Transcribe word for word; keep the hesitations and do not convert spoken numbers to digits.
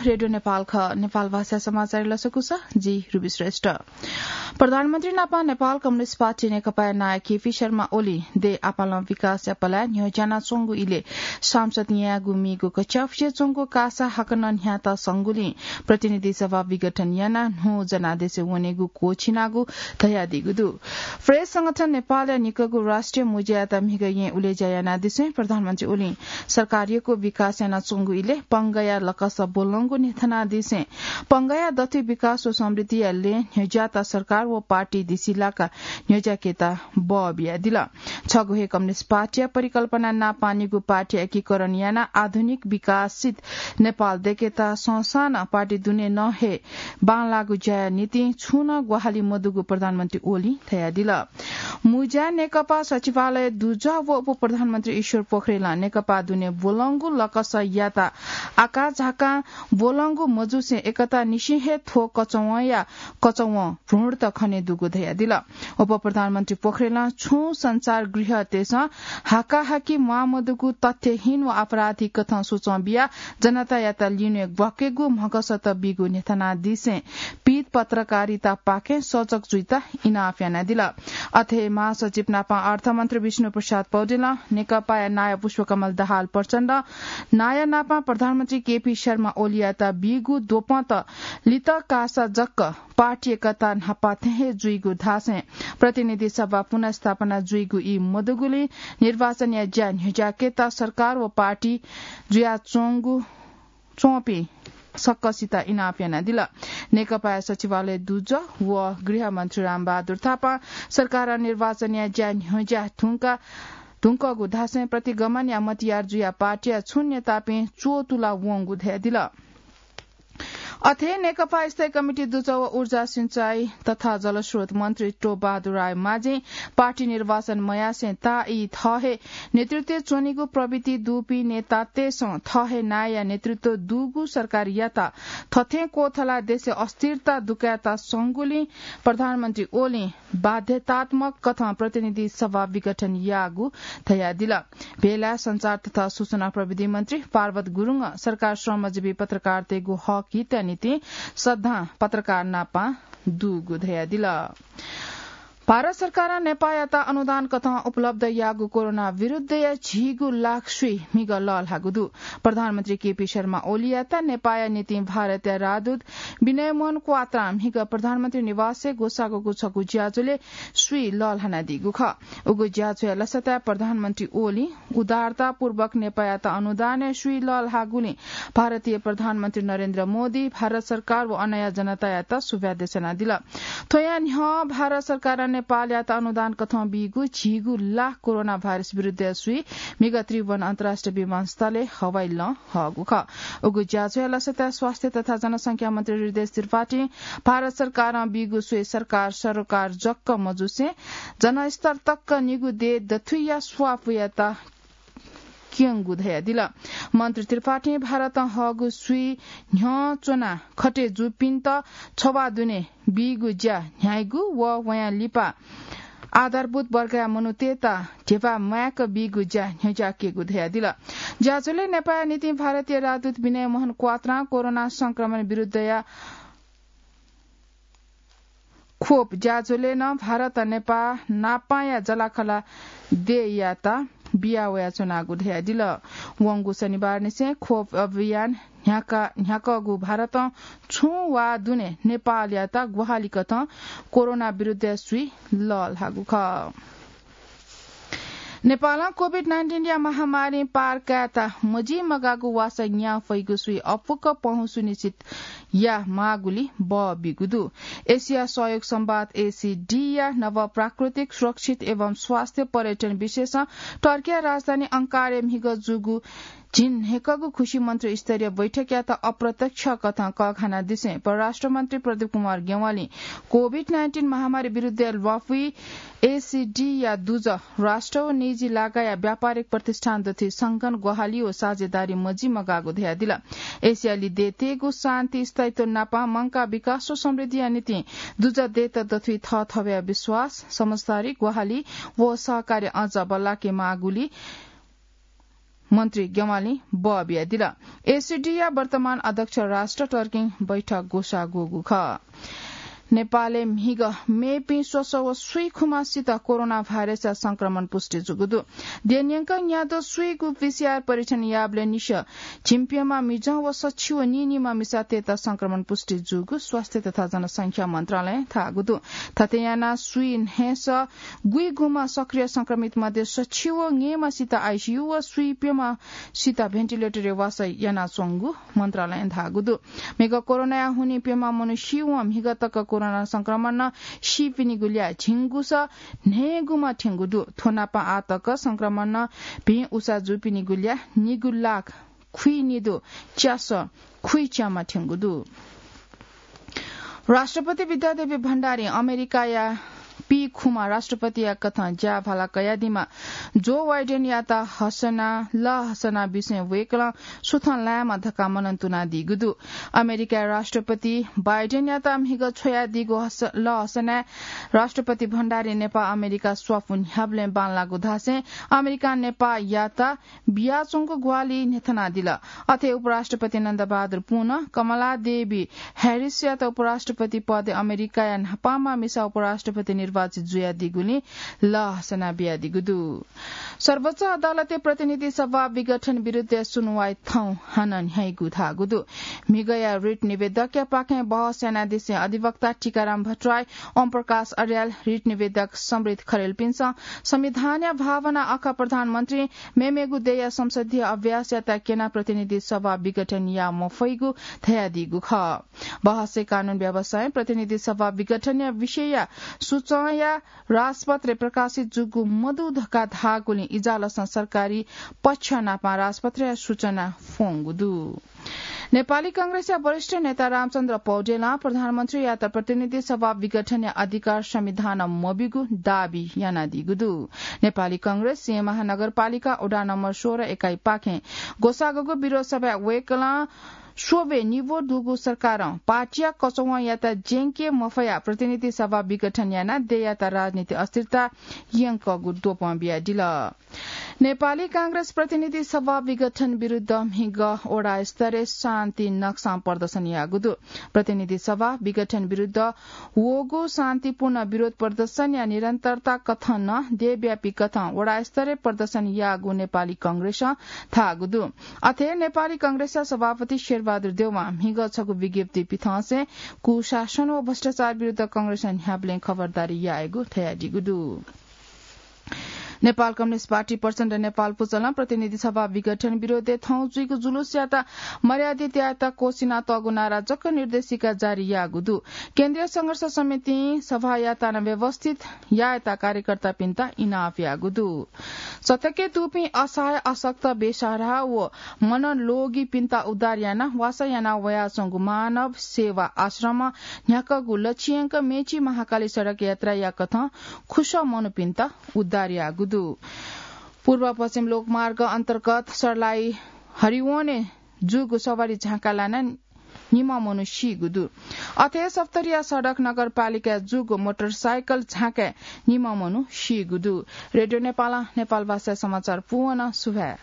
रेडियो नेपाल ख, नेपाल भाषा समाचार लसकुस, जि रुबी श्रेष्ठ। प्रधानमन्त्री नापा नेपाल कम्युनिस्ट पार्टी नेकपाया नायः केपी शर्मा ओली देय् आपालं विकासया पलाय् न्ह्यज्यानाच्वंगु इलय् सांसद न्यायेगु मीगु कच्यापुसे च्वंगु कासा हाकनं न्ह्यात संगुलिं प्रतिनिधि सभा विघटन यानाः न्हू जनादेशय् वनेगु क्वःछिनागु धयादीगु दु। प्रेस संगठन नेपालया निकःगु राष्ट्रिय मुज्यायात म्हिगः येँ उलेज्या यानादिसें प्रधानमन्त्री ओलीं सरकारयागु विकास यानाच्वंगु इलय् पंगया लकस ब्वलंगु न्ह्यथनादिसें पंगया दथुइ विकास व समृद्धिया लँय् न्ह्यज्यात सरकार व पार्टी दिसिलाका न्ह्यज्याकेत बः बियादिल। छगू हे कम्युनिस्ट पार्टीया परिकल्पना नापांनिगू पार्टी एकीकरण यानाः आधुनिक विकासित नेपाल दयेकेत संसानं पार्टी दुने नं हे बांलाःगु ज्याया निंतिं छुं नं ग्वाहालि मदुगु प्रधानमन्त्री ओलीं धयादिल। मुज्या नेकपा सचिवालय दुजः व उपप्रधानमन्त्री ईश्वर पोखरेलं नेकपा दुने ब्वलंगु लकसयात आकाझाकां ब्वलंगु मजुसें एकता निसें हे थ्व कचवंया कचवं भ्रूणत खने दुगु धयादिल। उपप्रधानमन्त्री पोखरेलं छुं सञ्चारगृहतय्सं हाकाहाकी म्वाःमदुगु तथ्यहीन व आपराधिक कथं सुचं बियाः जनतायात लिउने ग्वाकेगु म्हगसत बीगु न्ह्यथनादिसें पीत पत्रकारितापाखें सजग जुइत इनाप यानादिल। अथे महासचिव नापं अर्थमन्त्री विष्णु प्रसाद पौडेलं नेकपाया नायः पुष्पकमल दाहाल प्रचण्ड, नायः नापं प्रधानमन्त्री केपी शर्मा ओलीयात बीगु द्वपंत लित कासा जक पार्टी एकता न्हापा थें हे जुइगु धासें प्रतिनिधि सभा पुनर्स्थापना जुइगु ई मदुगुलिं निर्वाचनया ज्या न्ह्यज्याकेत सरकार व पार्टी जुयाच्वंगु च्वंपिं सकसित इनाप यानादिल। नेकपाया सचिवालय दुजः व गृहमन्त्री रामबहादुर थापां सरकारं निर्वाचनया ज्या न्ह्यज्या धुंका धुंकःगु धासें प्रतिगमनया मतियार जुयाः पार्टीया छुं नेतापिं च्वतुला वंगु धयादिल। अथे नेकपा स्थायी कमिटी दुजः व ऊर्जा सिंचाई तथा जलस्रोत मन्त्री टोपबहादुर राय माझें पार्टी निर्वाचन मयासें ताःई थः हे नेतृत्वय् च्वनीगु प्रवृत्ति दुपिं नेतातय्सं थः हे नायःया नेतृत्व दुगु सरकारयात थथें क्वथलाः देशय् अस्थिरता दुकायेत संगुलिं प्रधानमन्त्री ओलीं बाध्यतात्मक कथं प्रतिनिधि सभा विघटन याःगु धयादिल। बेलाय् सञ्चार तथा सूचना प्रविधि मन्त्री पार्वत गुरुङं सरकार श्रमजीवी पत्रकारतय्गु हक हितया निंतिं सदां पत्रकार नापं दुगु धयादिल। भारत सरकारं नेपाःयात अनुदान कथं उपलब्ध याःगु कोरोना विरुद्धया झिगू लाख सुई म्हिगः लःल्हाःगु दु। प्रधानमन्त्री केपी शर्मा ओलीयात नेपाःया निंतिं भारतया राजदूत विनय मोहन क्वात्रां म्हिगः प्रधानमन्त्री निवासय् ग्वसाःगु छगू ज्याझ्वलय् सुई लःल्हानादीगु खः। उगु ज्याझ्वया लसताय् प्रधानमन्त्री ओलीं उदारतापूर्वक नेपाःयात अनुदानय् सुई लःल्हाःगुलिं भारतया प्रधानमन्त्री नरेन्द्र मोदी, भारत सरकार व अनया जनतायात सुभाय् देछानादिल। थ्वया न्ह्यः भारत सरकारं नेपाःयात अनुदान कथं बीगु झिगू लाख कोरोना भाइरस विरुद्धया सुई म्हिगः त्रिभुवन अन्तर्राष्ट्रिय विमानस्थलय् हवाई लं हःगु खः। उगु ज्याझ्वया लसताय् स्वास्थ्य तथा जनसंख्या मन्त्री हृदयेश त्रिपाठीं भारत सरकारं बीगु सुई सरकार सरोकार जक मजुसें जनस्तर तक निगू देय् दथुइया स्वापयात क्यंगु धयादिल। मन्त्री त्रिपाठीं भारतं हःगु सुई न्ह्यः च्वना खटे जूपिन्त छवाः दुने बीगु ज्या न्ह्याइगु व वयां लिपा आधारभूत वर्गया मनूतय्त ध्यबा माय्क बीगु ज्या न्ह्यज्याकेगु धयादिल। ज्याझ्वलय् नेपाःया निंतिं भारतीय राजदूत विनय मोहन क्वात्रां कोरोना संक्रमण विरुद्धया खोप ज्याझ्वलय् नं भारतं नेपाः नापांया जःलाखःला देय्यात बिया वयाच्वनागु धयादिल। वंगु शनिबारनिसें खोप अभियान न्ह्याका-, न्ह्याकःगु भारतं छुं वा दुने नेपाःयात ग्वाहालि कथं कोरोना विरुद्धया सुई लःल्हाःगु खः। नेपालं कोभिड नाइन्टिनया महामारीं पार कायेत मजिमगाःगु वासः न्याः फइगु सुइ अप्वःक पहुँ सुनिश्चित यायेमाःगुलिं बः बीगु दु। एसिया सहयोग संवाद, एसिडीया नव प्राकृतिक, सुरक्षित एवं स्वास्थ्य पर्यटन विषयसं टर्किया राजधानी अंकारय् म्हिगः जूगु झिंन्हय्कःगु खुसी मन्त्रीस्तरीय बैठकयात अप्रत्यक्ष कथं कःघानादिसें परराष्ट्र मन्त्री प्रदीप कुमार ज्ञवालीं कोभिड नाइन्टिन महामारी विरुद्धया ल्वापुइ एसिडीया दुजः राष्ट्र व निजी लागाया व्यापारिक प्रतिष्ठान दथुइ संगठन ग्वाहालि व साझेदारी मजिमगाःगु धयादिल। एसियाली देय्तय्गु शान्ति, स्थायित्व नापं मंकाः विकास व समृद्धिया निंतिं दुजः देय्त दथुइ थःथवया विश्वास, समझदारी, ग्वाहालि व सहकार्य अझ बल्लाकेमाःगुलिं मन्त्री ज्ञवालीं बः बियादिल। एसीडीया वर्तमान अध्यक्ष राष्ट्र टर्किं बैठक ग्वसाः ग्वःगु खः। नेपालय् म्हिगः मेपिं स्वसः व स्वीखुम्हसित कोरोना भाइरसया संक्रमण पुष्टि जूगु दु। देन्यंक न्यादँ स्वीगु पीसीआर परीक्षण याःबलय् निसः झिंप्यम्ह मिजं व सछि व नीनिम्ह मिसातय्त संक्रमण पुष्टि जूगु स्वास्थ्य तथा जनसंख्या मन्त्रालयं धाःगु दु। थथे यानाः स्वीन्हय्सः गुइगुम्ह सक्रिय संक्रमित मध्ये सछि व न्हय्म्हसित आइसीयू व स्वीप्यम्हसित भेन्टिलेटरय् वासः यानाच्वंगु मन्त्रालयं धाःगु दु। म्हिगः कोरोनाया हुनिं प्यम्ह मनू सीवं म्हिगः तक कोरोना संक्रमणं सीपिनिगु ल्याः झिंगुसः न्हय्गुम्ह थ्यंगु दु। थ्व नाप आः तक संक्रमणं भिं उसा जूपिनिगु ल्याः निगू लाख खुइनिदँ च्यासः खुइच्याम्ह थ्यंगु दु। राष्ट्रपति विद्यादेवी भण्डारीं अमेरिकाया पीखुम्ह राष्ट्रपतिया कथं ज्याभाला कयादीम्ह जो बाइडेनयात हसना, लःहसना बिसें वय्कलं सुथं लायेमा धकाः मनंतुनादीगु दु। अमेरिकाया राष्ट्रपति बाइडेनयात म्हिगः छ्वयादीगु हस-, लःहसनाय् राष्ट्रपति भण्डारीं नेपाः अमेरिका स्वापू न्ह्याबलें बांलाःगु धासें अमेरिकां नेपाःयात बियाच्वंगु ग्वाहालि न्ह्यथनादिल। अथे उपराष्ट्रपति नन्दबहादुर पुनं कमला देवी ह्यारिसयात उपराष्ट्रपति पदय् अमेरिकाया न्हापांम्ह मिसा उपराष्ट्रपति निर्वाचित जुयादीगुलिं लःहसना बियादीगु दु। सर्वोच्च अदालतय् प्रतिनिधि सभा विघटन विरुद्धया सुनुवाइ थौं हानं न्ह्याइगु धाःगु दु। म्हिगःया रिट निवेदकया पाखें बहस यानादिसें अधिवक्ता टीकाराम भट्टराई, ओम प्रकाश अर्याल, रिट निवेदक समृद्ध खरेलपिन्सं संविधानया भावना आखः प्रधानमन्त्रीं मेमेगु देय्या संसदीय अभ्यासयात क्यनाः प्रतिनिधि सभा विघटन याये मफइगु धयादीगु खः। बहसय् कानून व्यवसायं प्रतिनिधि सभा विघटनया विषयया सूचंया राजपत्रय् प्रकाशित जूगु मदु धकाः धाःगुलिं इजालसं सरकारी पक्ष नाप राजपत्रया सूचना फ्वंगु दु। नेपाली कांग्रेसया वरिष्ठ नेता रामचन्द्र पौडेलं प्रधानमन्त्रीयात प्रतिनिधि सभा विघटनया अधिकार संविधानं मब्यूगु दाबी यानादीगु दु। नेपाली कांग्रेस सिंह महानगरपालिका वडा नम्बर सोह्र एकाइपाखें ग्वसाःगु विरोध सभाय् वय्कलं स्वब्वय् निब्व दुगु सरकारं पार्टीया कचवंयात ज्यंके मफयाः प्रतिनिधि सभा विघटन यानाः देय्यात राजनीतिक अस्थिरता यंकःगु द्वपं बियादिल। नेपाली कांग्रेस प्रतिनिधि सभा विघटन विरुद्ध म्हिगः वडा स्तरय् शान्ति नक्सां प्रदर्शन याःगु दु। प्रतिनिधि सभा विघटन विरुद्ध वःगु शान्तिपूर्ण विरोध प्रदर्शनया निरन्तरता कथं नं देशव्यापी कथं वडा स्तरय् प्रदर्शन याःगु नेपाली कांग्रेसं धाःगु दु। अथे नेपाली कांग्रेसया सभापति शेरबहादुर देवां म्हिगः छगू विज्ञप्ति पिथंसें कुशासन व भ्रष्टाचार विरुद्ध कांग्रेसं न्ह्याबलें खबरदारी यायेगु धयादीगु दु। नेपाल कम्युनिस्ट पार्टी प्रचण्ड नेपाल पुचलं प्रतिनिधि सभा विघटन विरोधय् थौं जुइगु जुलुसयात मर्यादित यायेत क्वसिनातःगु नारा जक निर्देशिका जारी याःगु दु। केन्द्रीय संघर्ष समितिं सभायात व्यवस्थित यायेत कार्यकर्तापिन्त इनाप याःगु दु। सथके दुपिं असहाय, अशक्त, बेसहारा व मनलोगीपिन्त उद्धार यानाः वासः याना वयाच्वंगु मानव सेवा आश्रमं न्ह्याकःगु लक्ष्य यंक मेची महाकाली सडक यात्राया कथं खुसः मनूपिन्त उद्धार याःगु दु। पूर्व पश्चिम लोकमार्ग अन्तर्गत सर्लाही हरिवनय् जूगु सवारी झाँक्काय् लानाः निम्ह मनू सीगु दु। अथे सप्तरीया सडक नगरपालिकाय् जूगु मोटरसाइकल झाँक्काय् निम्ह मनू सीगु दु। रेडियो नेपालं नेपाल भाषाय् समाचार पूवं सुभाय्।